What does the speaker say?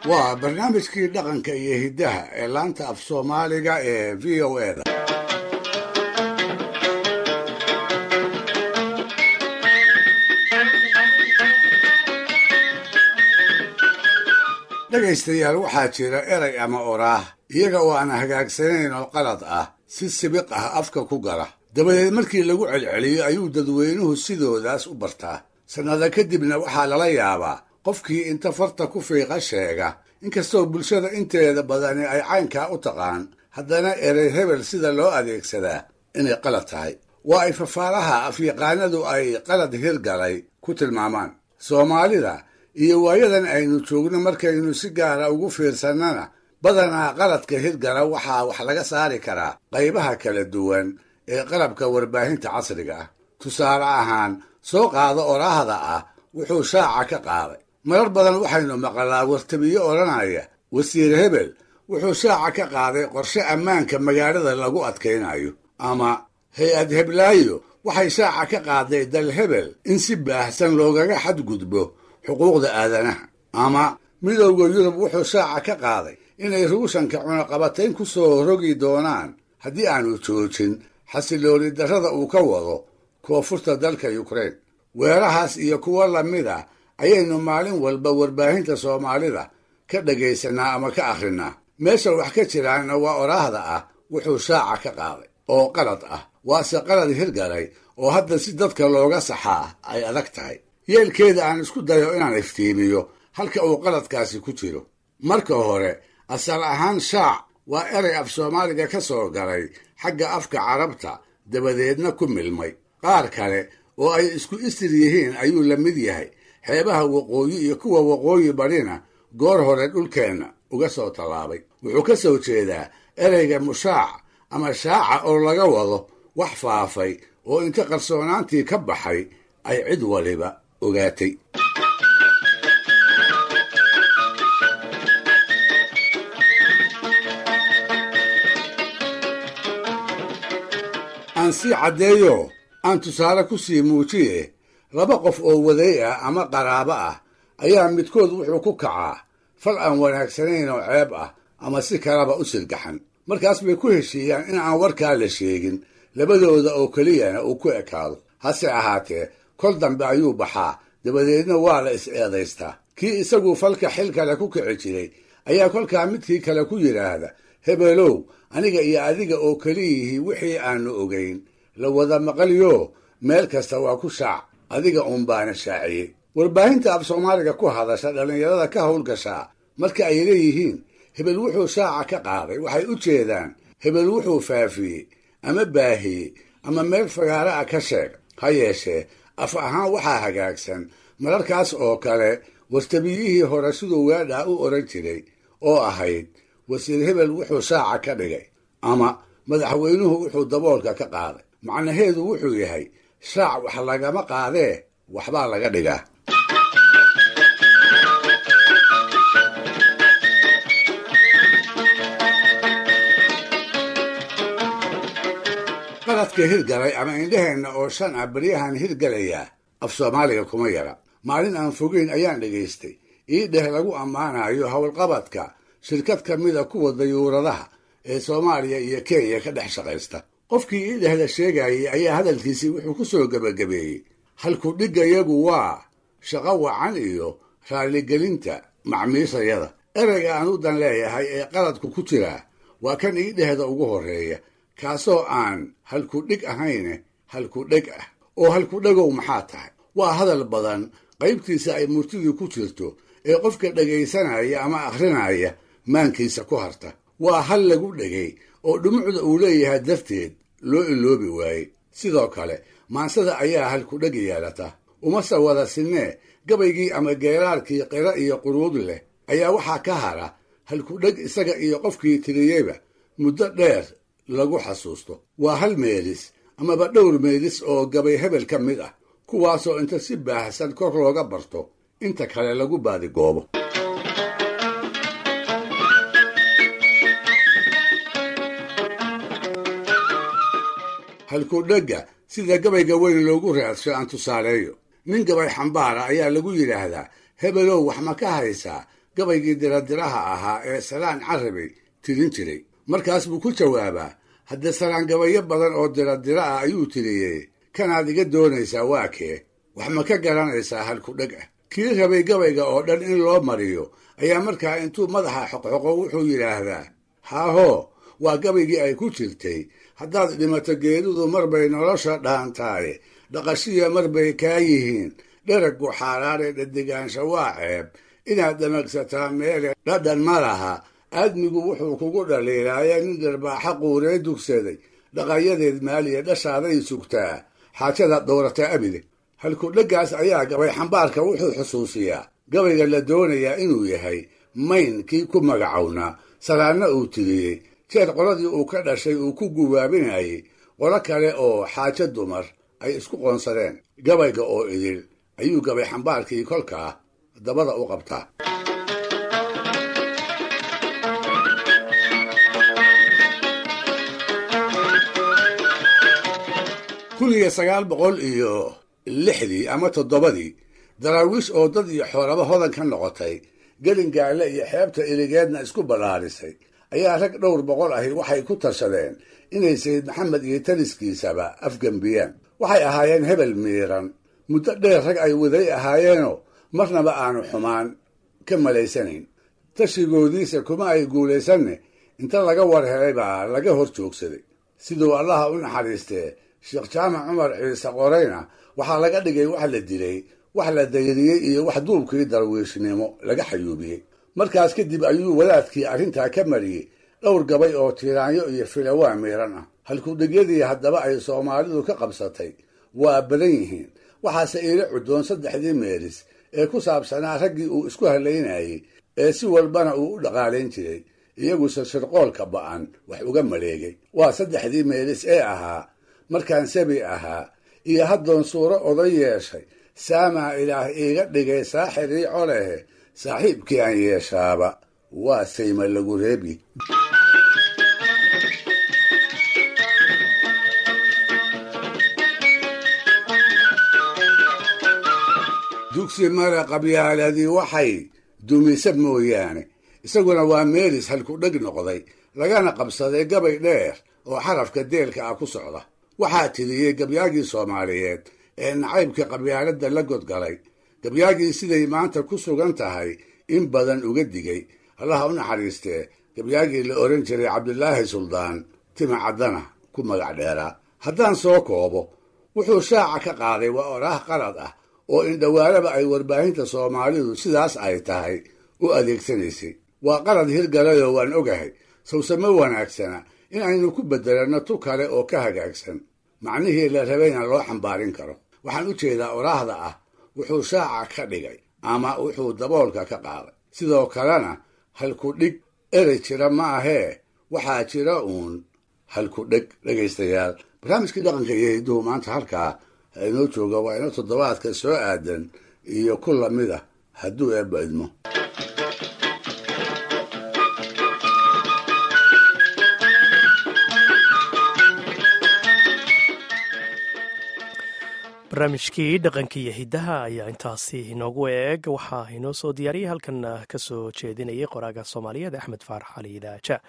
Waa barnaamijkii dhaqanka iyo hiddaha ee laanta af Soomaaliga ee VOA-da. Dhegaystayaal, waxaa jira erey ama oraah iyaga oo aan hagaagsanayn oo qalad ah si sibiq ah afka ku gala, dabadeed markii lagu celceliyo ayuu dadweynuhu sidoodaas u bartaa. Sannado kadibna waxaa lala yaabaa qofkii inta farta ku fiiqa sheega. Inkastoo bulshada inteeda badani ay caynkaa u taqaan, haddana erey hebel sida loo adeegsadaa inay qalad tahay waa ay fafaalaha afyaqaanadu ay qalad hirgalay ku tilmaamaan. Soomaalida iyo waayadan aynu joogno markaynu si gaara ugu fiirsannana, badanaa qaladka hirgala waxaa wax laga saari karaa qaybaha kala duwan ee qalabka warbaahinta casriga ah. Tusaale ahaan, soo qaado oraahda ah "wuxuu shaaca ka qaaday". Marar badan waxaynu maqalaa wartabiyo odhanaya: "Wasiir hebel wuxuu shaaca ka qaaday qorshe ammaanka magaalada lagu adkaynayo," ama "Hay-ad heblaayo waxay shaaca ka qaaday dal hebel in si baahsan loogaga xadgudbo xuquuqda aadanaha," ama "Midowda Yurub wuxuu shaaca ka qaaday inay Ruushanka cunaqabatayn ku soo rogi doonaan haddii aanu joojin xasilooni darrada uu ka wado koonfurta dalka Yukrain." Weerahaas iyo kuwo lamid ah ayaynu maalin walba warbaahinta Soomaalida ka dhagaysanaa ama ka akhrinaa. Meesha wax ka jiraanna waa oraahda ah "wuxuu shaaca ka qaaday" oo qalad ah, waase qalad hirgalay oo hadda si dadka looga saxaa ay adag tahay. Yeelkeeda, aan isku dayo inaan iftiimiyo halka uu qaladkaasi ku jiro. Marka hore, asal ahaan shaac waa erey af Soomaaliga ka soo galay xagga afka Carabta, dabadeedna ku milmay qaar kale oo ay isku isir yihiin ayuu la mid yahay. Xeebaha waqooyi iyo kuwa waqooyi barina goor hore dhulkeenna uga soo tallaabay. Wuxuu ka soo jeedaa ereyga mushaac ama shaaca oo laga wado wax faafay oo inta qarsoonaantii ka baxay ay cid waliba ogaatay. Aan sii caddeeyo, aan tusaale ku sii muujiye. Laba qof oo waday ah ama qaraabo ah ayaa midkood wuxuu ku kacaa fal aan wanaagsanayn oo ceeb ah ama si kalaba u sirgaxan. Markaas bay ku heshiiyaan in aan warkaa la sheegin, labadooda oo keliyana uu ku ekaado. Hase ahaatee, kol dambe ayuu baxaa, dabadeedna waa la is-eedaystaa. Kii isagu falka xil kale ku kici jiray ayaa kolkaa midkii kale ku yidhaahda: "Hebelow, aniga iyo adiga oo keliyihii wixii aanu ogayn la wada maqalyo, meel kasta waa ku shaac, adiga uun baana shaaciyey." Warbaahinta af Soomaaliga ku hadasha dhallinyarada ka howlgashaa marka ay leeyihiin "hebel wuxuu shaaca ka qaaday", waxay u jeedaan hebel wuxuu faafiyey ama baahiyey ama meel fagaara ah ka sheeg. Ha yeeshee, af ahaan waxaa hagaagsan mararkaas oo kale wartabiyihii hore siduu weedhaa u oran jiray oo ahayd "wasiir hebel wuxuu shaaca ka dhigay" ama "madaxweynuhu wuxuu daboolka ka qaaday". Macnaheedu wuxuu yahay shaac wax lagama qaadee, waxbaa laga dhigaa. Qaladka hirgalay ama indhaheenna oo shan ah baryahan hirgalayaa af Soomaaliga kuma yara. Maalin aan fogeyn ayaan dhegaystay ii dheh lagu ammaanayo howlqabadka shirkad ka mida kuwa dayuuradaha ee Soomaaliya iyo Kenya ka dhex shaqaysta. Qofkii ii dhehda sheegayey ayaa hadalkiisii wuxuu ku soo gebagabeeyey: "Halku dhiggayagu waa shaqo wacan iyo raalligelinta macmiishayada." Ereyga aan u dan leeyahay ee qaladku ku jiraa waa kan ii dhehda ugu horreeya, kaasoo aan halkudhig ahayne halkudheg ah. Oo halkudhegow maxaa tahay? Waa hadal badan qaybtiisa ay murtidii ku jirto ee qofka dhegaysanaya ama akhrinaya maankiisa ku harta. Waa hal lagu dhegay oo dhumucda uu leeyahay darteed loo iloobi waayey. Sidoo kale maansada ayaa halkudheg yeelata, umase wada sinee. Gabaygii ama geeraarkii qira iyo quruud leh ayaa waxaa ka hara halkudheg isaga iyo qofkii tiriyeyba muddo dheer lagu xasuusto. Waa hal meelis amaba dhowr meelis oo gabay hebel ka mid ah, kuwaasoo inta si baahsan kor looga barto inta kale lagu baadigoobo. Halkudhegga sida gabayga weyn loogu raadsho aan tusaaleeyo. Nin gabay xambaara ayaa lagu yidhaahdaa: "Hebelow, wax ma ka haysaa Gabaygii diradiraha ahaa ee Salaan Carabey tirin jiray. Markaas buu ku jawaabaa: "Haddee Salaan gabayo badan oo diradira ah ayuu tiriyey, kanaad iga doonaysaa waa kee? Wax ma ka garanaysaa halkudheg ah?" Kii rabay gabayga oo dhan in loo mariyo ayaa markaa intuu madaxa xoqxoqo wuxuu yidhaahdaa: "Haahoo, waa gabaygii ay ku jirtay, haddaad dhimato geeridu mar bay nolosha dhaantaaye, dhaqashiya mar bay kaa yihiin, dheraggu xaaraane, dhadigaansha waa ceeb, inaad dhamagsataa meele dhadhan ma laha, aadmigu wuxuu kugu dhaliilaaye, nin dharbaaxa quuree dugsaday, dhaqayadeed maaliya dhashaaday sugtaa, xaajadaad dhowrataa abide." Halkudheggaas ayaa gabay xambaarka wuxuu xusuusiyaa gabayga la doonayaa inuu yahay mayn kii ku magacownaa Salaanna uu tiriyey jeer qoladii uu ka dhashay uu ku gubaabinayey qolo kale oo xaajo dumar ay isku qoonsadeen. Gabayga oo idil ayuu gabay xambaarkii kolkaa dabada u qabtaa. 1906-dii ama 7-dii, Daraawiish oo dad iyo xoolaba hodan ka noqotay, Gelingaale iyo xeebta Iligeedna isku ballaarisay, ayaa rag dhowr boqol ahi waxay ku tashadeen inay Sayid Maxamed iyo taliskiisaba afgembiyaan. Waxay ahaayeen hebel miiran, muddo dheer rag ay waday ahaayeenoo marnaba aanu xumaan ka malaysanayn. Tashigoodiisa kuma ay guulaysanne, inta laga war helay baa laga hor joogsaday. Siduu Allaha u naxariistee Sheekh Jaamac Cumar Ciise qorayna, waxaa laga dhigay wax la dilay, wax la dayriyey iyo wax duubkii darwiishnimo laga xayuubiyey. Markaas kadib ayuu wadaadkii arrintaa ka mariyey dhowr gabay oo tiiraanyo iyo filawaa miiran ah. Halkudhigyadii haddaba ay Soomaalidu ka qabsatay waa badan yihiin, waxaase iila cudoon saddexdii meeris ee ku saabsanaa raggii uu isku halaynayey ee si walbana uu u dhaqaalayn jiray, iyaguse shirqoolka ba'an wax uga maleegay. Waa saddexdii meelis ee ahaa: "Markaan sabi ahaa iyo haddoon suuro oday yeeshay, saamaa Ilaah iiga dhigay saaxirii colehe, saaxiibkii aan yeeshaaba waa sayma lagu reebi." "Dugsi male qabyaaladii waxay dumisa mooyaane," isaguna waa meelis halkudheg noqday, lagana qabsaday gabay dheer oo xarafka deelka ah ku socda. Waxaa tiriyey gabyaagii Soomaaliyeed ee nacaybka qabyaaladda la godgalay, gabyaagii siday maanta ku sugan tahay in badan uga digay, Allaha u naxariistee gabyaagii la oran jiray Cabdilaahi Suldaan Tima Caddana ku magac dheeraa. Haddaan soo koobo, wuxuu shaaca ka qaaday waa oraah qalad ah oo indhowaalaba ay warbaahinta Soomaalidu sidaas ay tahay u adeegsanaysay. Waa qalad hirgalayoo waan ogahay, sawsamo wanaagsana in aynu ku beddelanno tu kale oo ka hagaagsan, macnihii la rabayna loo xambaarin karo. Waxaan u jeedaa oraahda ah "wuxuu shaaca ka dhigay" ama "wuxuu daboolka ka qaaday". Sidoo kalena halkudhig erey jira ma ahee, waxaa jira uun halkudheg. Dhegaystayaal, barnaamijkii dhaqanka iyo hidduhu maanta halkaa ha inoo jooga. Waa inoo toddobaadka soo aadan iyo ku lamid ah, hadduu Eebba idmo. Barnaamijkii dhaqanka iyo hiddaha ayaa intaasi inoogu eeg. Waxaa inoo soo diyaariyay, halkan ka soo jeedinayay qoraaga Soomaaliyeed Axmed Faarax Cali Idaaja.